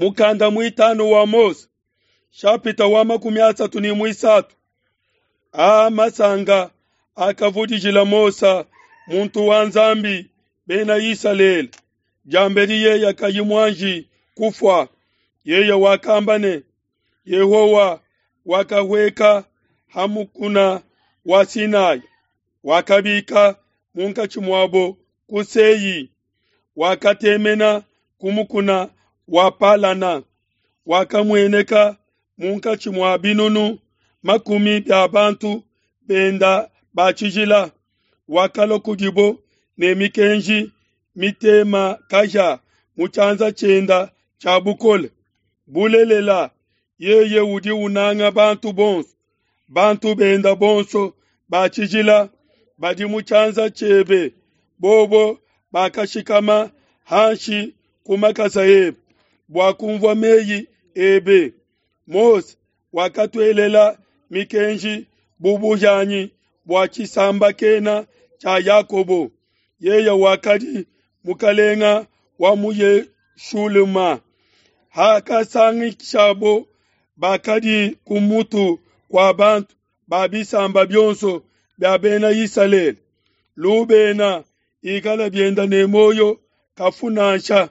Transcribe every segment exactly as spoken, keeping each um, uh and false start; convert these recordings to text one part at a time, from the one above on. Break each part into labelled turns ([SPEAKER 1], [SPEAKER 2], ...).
[SPEAKER 1] Mukanda mwitano wa Mose shapita wa makumi asatu ni mwisatu a masanga akavudijila Mosa muntu wa Nzambi bena Isalele jambeli yeya kayi mwanji kufwa yeye wakamba ne Yehowa wakahweka hamukuna wa Sinai wakabika munkatshi mwabo ku Sei wakatemena kumukuna wa Palana wakamueneka munkatshi mwa binunu makumi bya bantu benda bachijila wakalua kudibo ne mikenji mitema kaja mu tshianza tshienda tshia bukole bulelela yeye udi unanga bantu bonso bantu benda bonso bachijila badi mu tshianza tshiebe bobo bakashikama hanshi ku makasa ebe bua kumvua meyi ebe. Mose wakatuelela mikenji bubujanyi bua tshisambakena tshia Yakobo yeye wakadi mukalenga wa mu Yeshuluma hakasangishabo bakadi ku mutu kwa bantu ba bisamba byonso bya bena Isalele. Lubena ikala byenda ne moyo kafunansha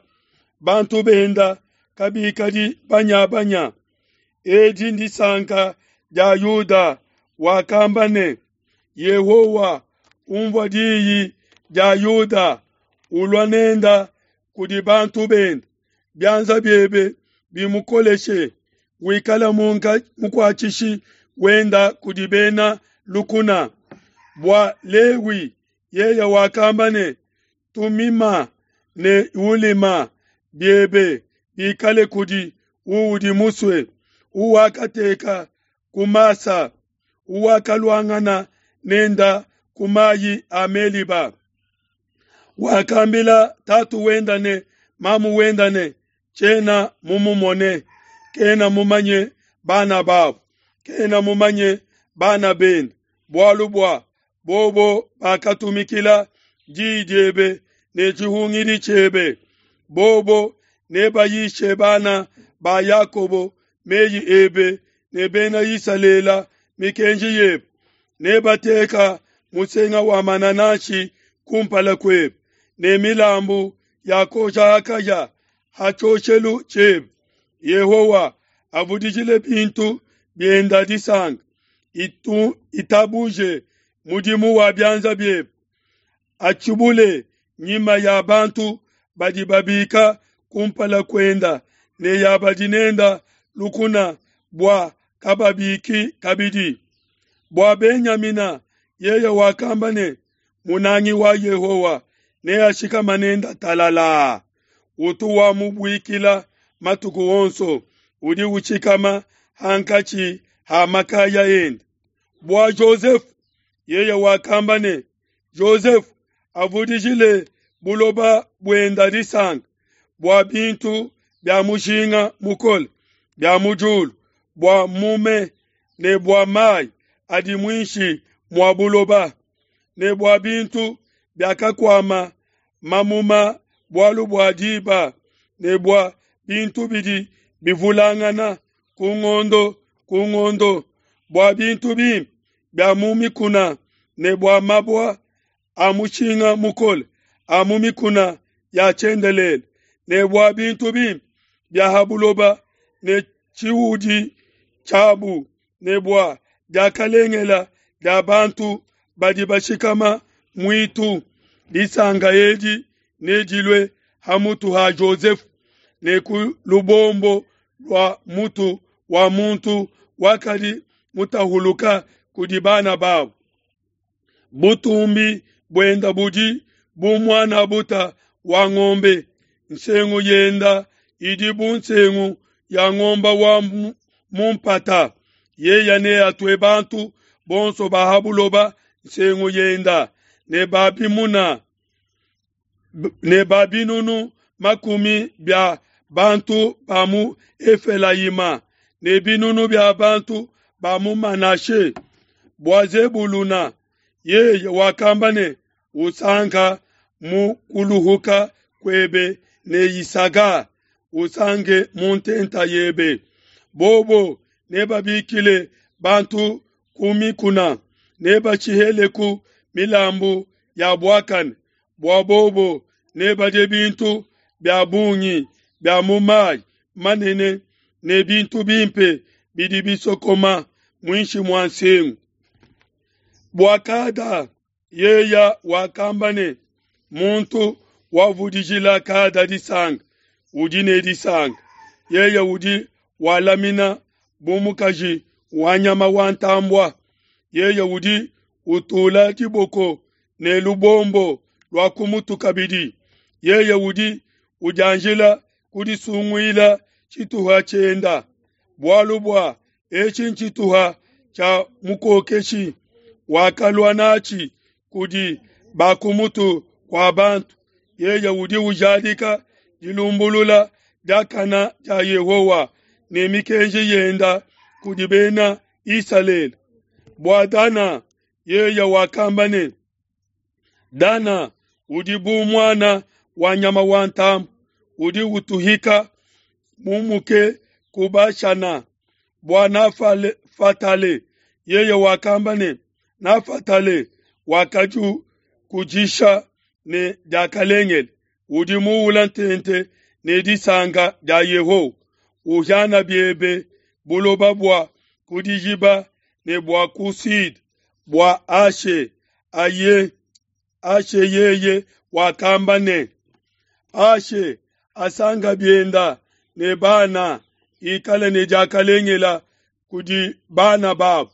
[SPEAKER 1] bantu benda kabikadi banyabanya. Edi ndisanka dia Yuda wakamba ne Yehowa umvua diyi dia Yuda ulwa nenda kudi bantu benda byanza byebe bimukoleshe wikala munka mukwatshishi wenda kudi bena lukuna. Bua Lewi yeye wakamba ne tumima ne ulima byebe bikale kudi uudi musue uwakateka kumasa uwakaluangana nenda kumayi a Meliba. Wakambila tatu wenda ne mamu wenda ne tshiena mumumone kena mumanye bana babo kena mumanye bana bende bualu bua bobo bakatumikila diyi diebe ne tshihungidi tshiebe. Bobo nebayishe bana ba Yakobo meyi ebe ne bena Isalela mikenji yebe. Nebateka musenga wa manananshi kumpala kwebe ne milambu ya kosha akaja hachoshelu tshiebe. Yehowa avudijile bintu byenda disanga itu itabuje mudimu wa byanza byebe atshibule nyima ya bantu badi babika kumpala kwenda ne ya badi nenda lukuna bua kababiki kabidi. Bua Benyamina yeye wakamba ne munangi wa Yehowa ne ashikama nenda talala utu wa mubuikila matuku onso udi uchikama hankatshi ha makaya ende. Bua Joseph yeye wakamba ne Joseph avudijile buloba bwenda disanga bua bintu bya mushinga mukole bya mujulu bua mume ne bua mai adi mwinshi mwa buloba ne bua bintu byakakwama mamuma bualu bua diba ne bua bintu bidi bivulangana ku ngondo ku ngondo bua bintu bimpe bya mu mikuna ne bua mabua a mushinga mukole a mu mikuna ya tshiendelele ne bua bintu bimpe bya ha buloba ne tshiwudi tshiabu ne bua diakalengela dia bantu badi bashikama mwitu. Disanga edi nedilue ha mutu ha Joseph ne ku lubombo lua mutu wa muntu wakadi mutahuluka kudi bana babo. Butumbi bwenda budi bu mwana buta wa ng'ombe nsengu yenda idi bu nsengu ya ng'omba wa mumpata yeya ne atue bantu bonso ba ha buloba nsengu yenda ne babimuna ne babinunu makumi bya bantu ba mu Efelayima ne binunu bya bantu ba mu Manashe. Bua Zebuluna yeye wakamba ne usanka mu kuluhuka kwebe ne Isaga usanke mu ntenta yebe. Bobo nebabikile bantu ku mikuna, nebashiheleku milambu ya buakane, bua bobo nebadie bintu bia bungi bia mu mayi manene ne bintu bimpe bidi bisokoma muinshi mua nsengu. Bua Gada yeya wakamba ne, muntu wavudijila Gada disanka udi ne disanka, yeye udi walamina bu mukaji wa nyama wa ntambua, yeye udi utula diboko ne lubombo lua ku mutu kabidi, yeye udi udianjila kudisunguila tshituha tshienda, bualu bua etshi ntshituha tshia mukokeshi wakalua natshi kudi ba ku mutu kua bantu, yeye udi ujadika dilumbulula diakana dia Yehowa ne mikenji yenda kudi bena Isalele. Bua Dana yeye wakamba ne, Dana udi bu muana wa nyama wa ntambue udi utuhika mumuke ku Bashana. Bua Nafatale yeye wakamba ne, Nafatale wakadikudisha ne diakalengele, udi muula ntente ne disanka dia Yehowa. Uhiana biebe buloba bua ku dijiba ne bua ku Sud, bua Ashe aye Ashe yeye wakamba ne, Ashe asanga bienda ne bana, ikale ne diakalengela kudi bana babo,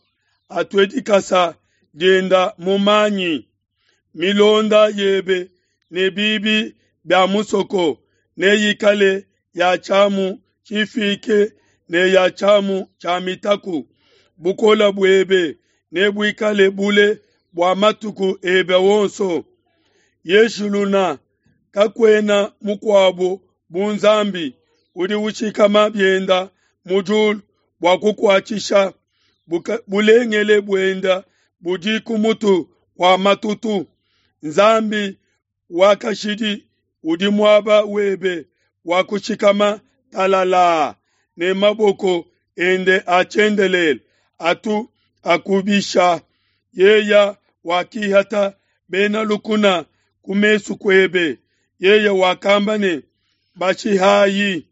[SPEAKER 1] atue dikasa dienda mu manyi. Milonda yebe ne bibi bia musoko neyikale ya tshiamu tshifike ne ya tshiamu tshia mitaku. Bukole buebe nebuikale bule bua matuku ebe wonso. Yeshuluna, kakuena mukuabo bu Nzambi udi ushikama bienda mu diulu bua kukuatshisha. Bulengele buenda budi ku mutu kua matutu. Nzambi wa kashidi udi muaba webe wa kushikama talalaa, ne maboko ende a tshiendelele atu akubisha. Yeya wakihata bena lukuna ku mesu kuebe. Yeye wakamba ne, bashihayi.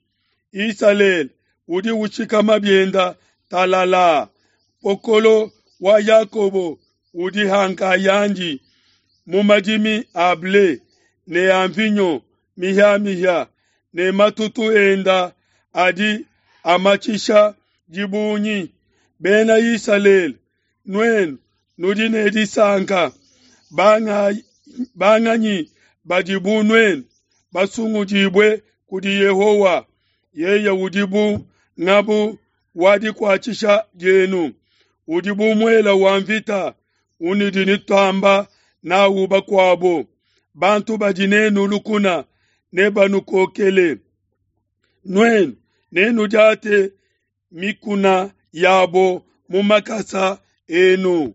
[SPEAKER 1] Isalele udi ushikama bienda talalaa. Mpokolo wa Yakobo udi hankayandi mu madimi a ble ne a mvinyo mihiamihia, ne matutu enda adi amatshisha dibungi. Bena Isalele, nuenu nudi ne disanka, banganyi badi bu nuenu basungudibue kudi Yehowa? Yeye udi bu ngabu wa dikuatshisha dienu, udi bu muela wa mvita unudi nutamba nawu bakuabo. Bantu badi nenu lukuna nebanukokele. Nuenu nenudiate mikuna yabo mu makasa enu.